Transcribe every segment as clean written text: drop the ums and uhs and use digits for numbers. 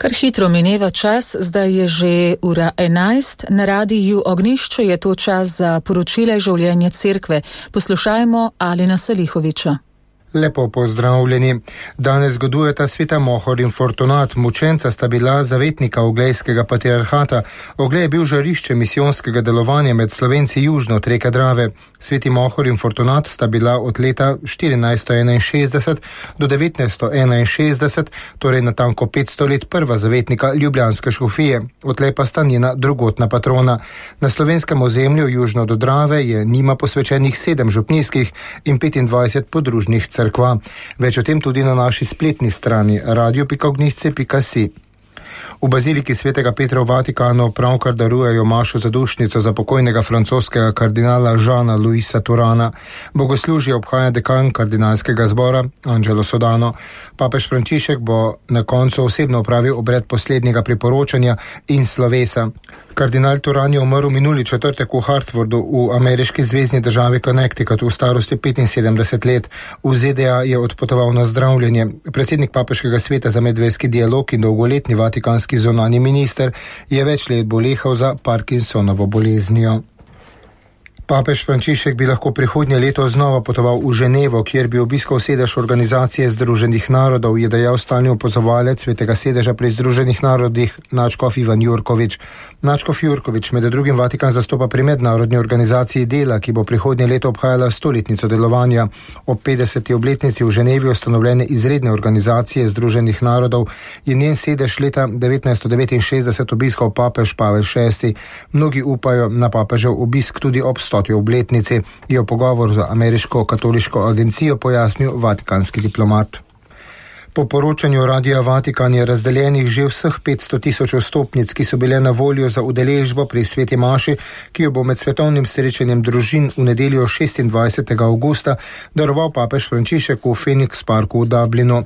Kar hitro mineva čas, zdaj je že ura 11, na radiju Ognjišče je to čas za poročile življenja cerkve. Poslušajmo Alina Salihoviča. Lepo pozdravljeni. Danes zgodujeta sveta Mohor in Fortunat. Mučenca sta bila zavetnika Oglejskega patriarhata. Oglej je bil žarišče misijonskega delovanja med Slovenci južno od reke Drave. Sveti Mohor in Fortunat sta bila od leta 1461 do 1961, torej natanko 500 let prva zavetnika ljubljanske škofije. Odtlej pa sta njena drugotna patrona. Na slovenskem ozemlju južno do Drave je njima posvečenih 7 župnijskih in 25 podružnih cerkva. Več o tem tudi na naši spletni strani radio.ognjišče.si. V baziliki svetega Petra v Vatikanu pravkar darujejo mašo zadušnico za pokojnega francoskega kardinala Žana Luisa Turana. Bogoslužje obhaja dekan kardinalskega zbora Angelo Sodano. Papež Frančišek bo na koncu osebno opravil obred poslednjega priporočanja in slovesa. Kardinal Turan je umrl minuli četrtek v Hartfordu v ameriški zvezni državi Connecticut v starosti 75 let. V ZDA je odpotoval na zdravljenje. Predsednik papeškega sveta za medverski dialog in dolgoletni vatikanski zunanji minister je več let bolehal za Parkinsonovo boleznijo. Papež Frančišek bi lahko prihodnje leto znova potoval v Ženevo, kjer bi obiskal sedež Organizacije Združenih narodov, je dejal stalni opazovalec svetega sedeža pri Združenih narodih nadškof Ivan Jurkovič. Nadškof Jurkovič med drugim Vatikan zastopa pri mednarodni organizaciji dela, ki bo prihodnje leto obhajala 100-letnico delovanja. Ob 50. obletnici v Ženevi ustanovljene izredne organizacije Združenih narodov je njen sedež leta 1969 obiskal papež Pavel VI. Mnogi upajo na papežev obisk tudi ob 100. obletnici, je v pogovoru za ameriško katoliško agencijo pojasnil vatikanski diplomat. Po poročanju Radia Vatikan je razdeljenih že vseh 500.000 vstopnic, ki so bile na voljo za udeležbo pri sveti maši, ki jo bo med svetovnim srečanjem družin v nedeljo 26. avgusta daroval papež Frančišek v Phoenix Parku v Dublinu.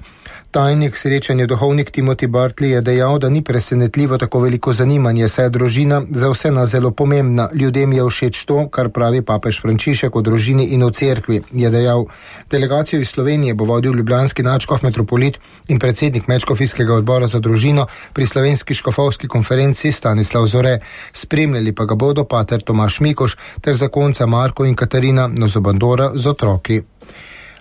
Tajnik srečanja duhovnik Timothy Bartley je dejal, da ni presenetljivo tako veliko zanimanje, saj je družina za vse nas zelo pomembna. Ljudem je všeč to, kar pravi papež Frančišek o družini in o cerkvi, je dejal. Delegacijo iz Slovenije bo vodil ljubljanski nadškof metropolit in predsednik medškofijskega odbora za družino pri slovenski škofovski konferenci Stanislav Zore. Spremljali pa ga bodo pater Tomaž Mikoš ter zakonca Marko in Katarina Nozobandora z otroki.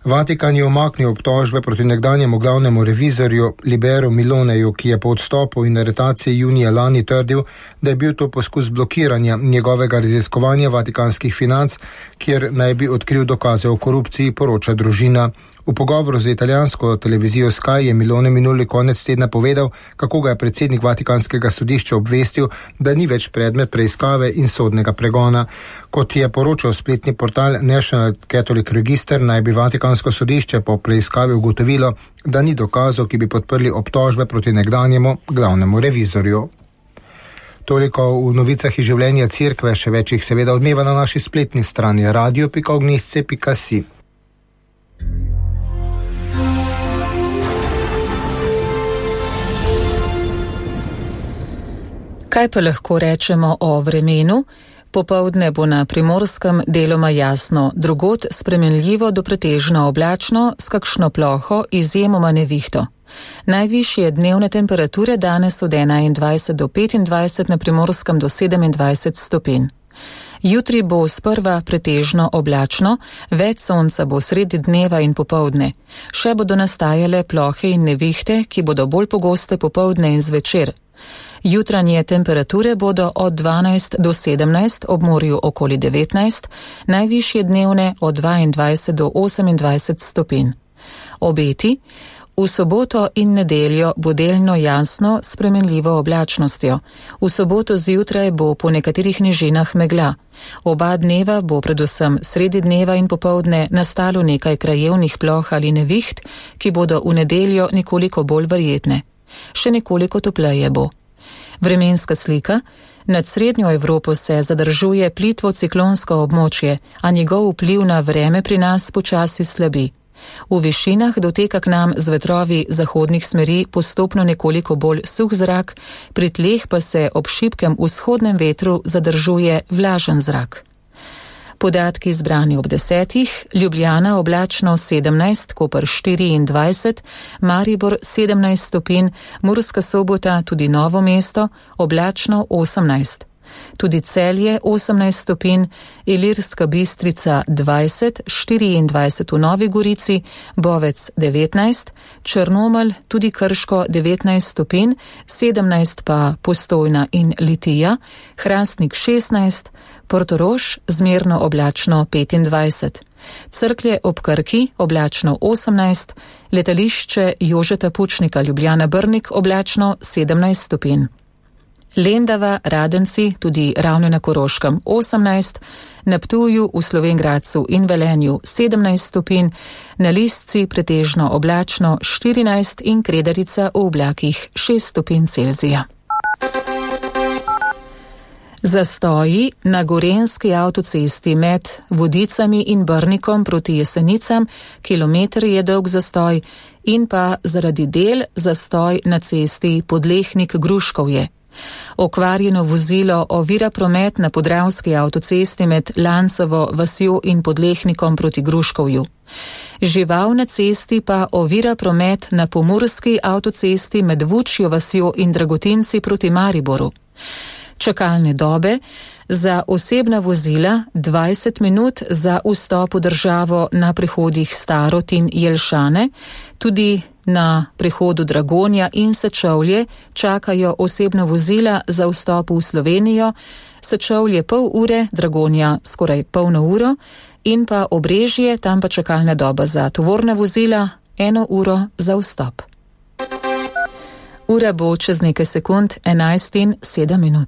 Vatikan je umaknil obtožbe proti nekdanjemu glavnemu revizorju Liberu Miloneju, ki je po odstopu in aretaciji junija lani trdil, da je bil to poskus blokiranja njegovega raziskovanja vatikanskih financ, kjer naj bi odkril dokaze o korupciji, poroča družina. V pogovoru z italijansko televizijo Sky je Milone minuli konec tedna povedal, kako ga je predsednik Vatikanskega sodišča obvestil, da ni več predmet preiskave in sodnega pregona. Kot je poročal spletni portal National Catholic Register, naj bi Vatikansko sodišče po preiskavi ugotovilo, da ni dokazov, ki bi podprli obtožbe proti nekdanjemu glavnemu revizorju. Toliko v novicah iz življenja cerkve, še več jih seveda odmeva na naši spletni strani radio.ognjišče.si. Kaj pa lahko rečemo o vremenu? Popoldne bo na Primorskem deloma jasno, drugod spremenljivo do pretežno oblačno s kakšno ploho, izjemoma nevihto. Najvišje dnevne temperature danes od 21 do 25, na Primorskem do 27 stopinj. Jutri bo sprva pretežno oblačno, več sonca bo sredi dneva in popoldne. Še bodo nastajale plohe in nevihte, ki bodo bolj pogoste popoldne in zvečer. Jutranje temperature bodo od 12 do 17, ob morju okoli 19, najvišje dnevne od 22 do 28 stopinj. Obeti: v soboto in nedeljo bo delno jasno s spremenljivo oblačnostjo. V soboto zjutraj bo po nekaterih nižinah megla. Oba dneva bo predvsem sredi dneva in popoldne nastalo nekaj krajevnih ploh ali neviht, ki bodo v nedeljo nekoliko bolj verjetne. Še nekoliko topleje bo. Vremenska slika: nad srednjo Evropo se zadržuje plitvo ciklonsko območje, a njegov vpliv na vreme pri nas počasi slabi. V višinah doteka k nam z vetrovi zahodnih smeri postopno nekoliko bolj suh zrak, pri tleh pa se ob šibkem vzhodnem vetru zadržuje vlažen zrak. Podatki zbrani ob 10, Ljubljana oblačno 17, Koper 24, Maribor 17 stopinj, Murska Sobota, tudi Novo mesto, oblačno 18. Tudi Celje 18 stopinj, Ilirska Bistrica 20, 24 v Novi Gorici, Bovec 19, Črnomelj, tudi Krško 19 stopinj, 17 pa Postojna in Litija, Hrastnik 16, Portorož zmerno oblačno 25. Cerklje ob Krki oblačno 18, letališče Jožeta Pučnika Ljubljana Brnik oblačno 17 stopinj. Lendava, Radenci, tudi Ravne na Koroškem 18, na Ptuju, v Slovenj Gradcu in Velenju 17 stopinj, na Lisci pretežno oblačno 14 in Kredarica v oblakih 6 stopinj Celzija. Zastoji na gorenjski avtocesti med Vodicami in Brnikom proti Jesenicam, kilometer je dolg zastoj, in pa zaradi del zastoj na cesti Podlehnik-Gruškovje. Okvarjeno vozilo ovira promet na podravski avtocesti med Lancovo vasjo in Podlehnikom proti Gruškovju. Žival na cesti pa ovira promet na pomurski avtocesti med Vučjo vasjo in Dragotinci proti Mariboru. Čakalne dobe za osebna vozila 20 minut za vstop v državo na prehodih Starod in Jelšane, tudi na prehodu Dragonja in Sečovlje čakajo osebna vozila za vstop v Slovenijo, Sečovlje pol ure, Dragonja skoraj polno uro in pa Obrežje, tam pa čakalna doba za tovorna vozila 1 uro za vstop. Ura bo čez nekaj sekund 11:07.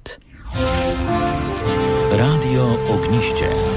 Radio Ognišče.